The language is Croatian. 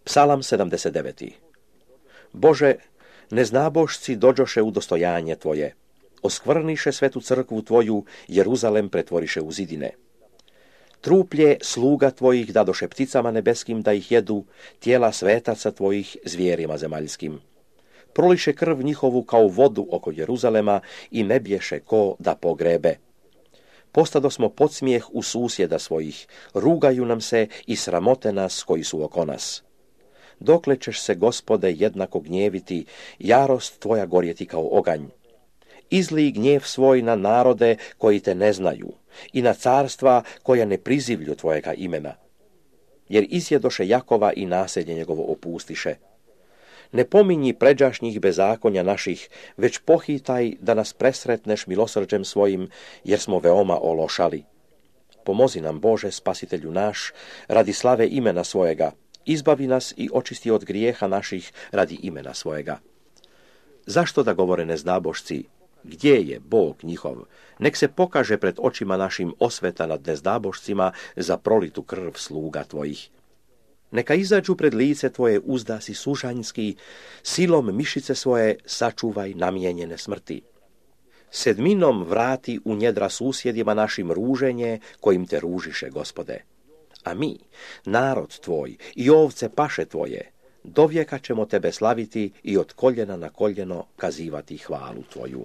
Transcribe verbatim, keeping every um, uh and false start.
Psalam sedamdeset devet. Bože, neznabošci dođoše u dostojanje Tvoje, oskvrniše svetu crkvu Tvoju, Jeruzalem pretvoriše u zidine. Truplje sluga Tvojih dadoše pticama nebeskim da ih jedu, tijela svetaca Tvojih zvijerima zemaljskim. Proliše krv njihovu kao vodu oko Jeruzalema i ne bješe ko da pogrebe. Postado smo podsmijeh u susjeda svojih, rugaju nam se i sramote nas koji su oko nas. Dokle ćeš se, Gospode, jednako gnjeviti, jarost Tvoja gorjeti kao oganj. Izlij gnjev svoj na narode koji te ne znaju i na carstva koja ne prizivlju Tvojega imena. Jer isjedoše Jakova i naselje njegovo opustiše. Ne pominji pređašnjih bezakonja naših, već pohitaj da nas presretneš milosrđem svojim, jer smo veoma ološali. Pomozi nam, Bože, Spasitelju naš, radi slave imena svojega, izbavi nas i očisti od grijeha naših radi imena svojega. Zašto da govore nezdabošci? Gdje je Bog njihov? Nek se pokaže pred očima našim osveta nad nezdabošcima za prolitu krv sluga Tvojih. Neka izađu pred lice Tvoje uzdasi sužanjski, silom mišice svoje sačuvaj namijenjene smrti. Sedminom vrati u njedra susjedima našim ruženje kojim te ružiše, Gospode. A mi, narod Tvoj i ovce paše Tvoje, dovijeka ćemo Tebe slaviti i od koljena na koljeno kazivati hvalu Tvoju.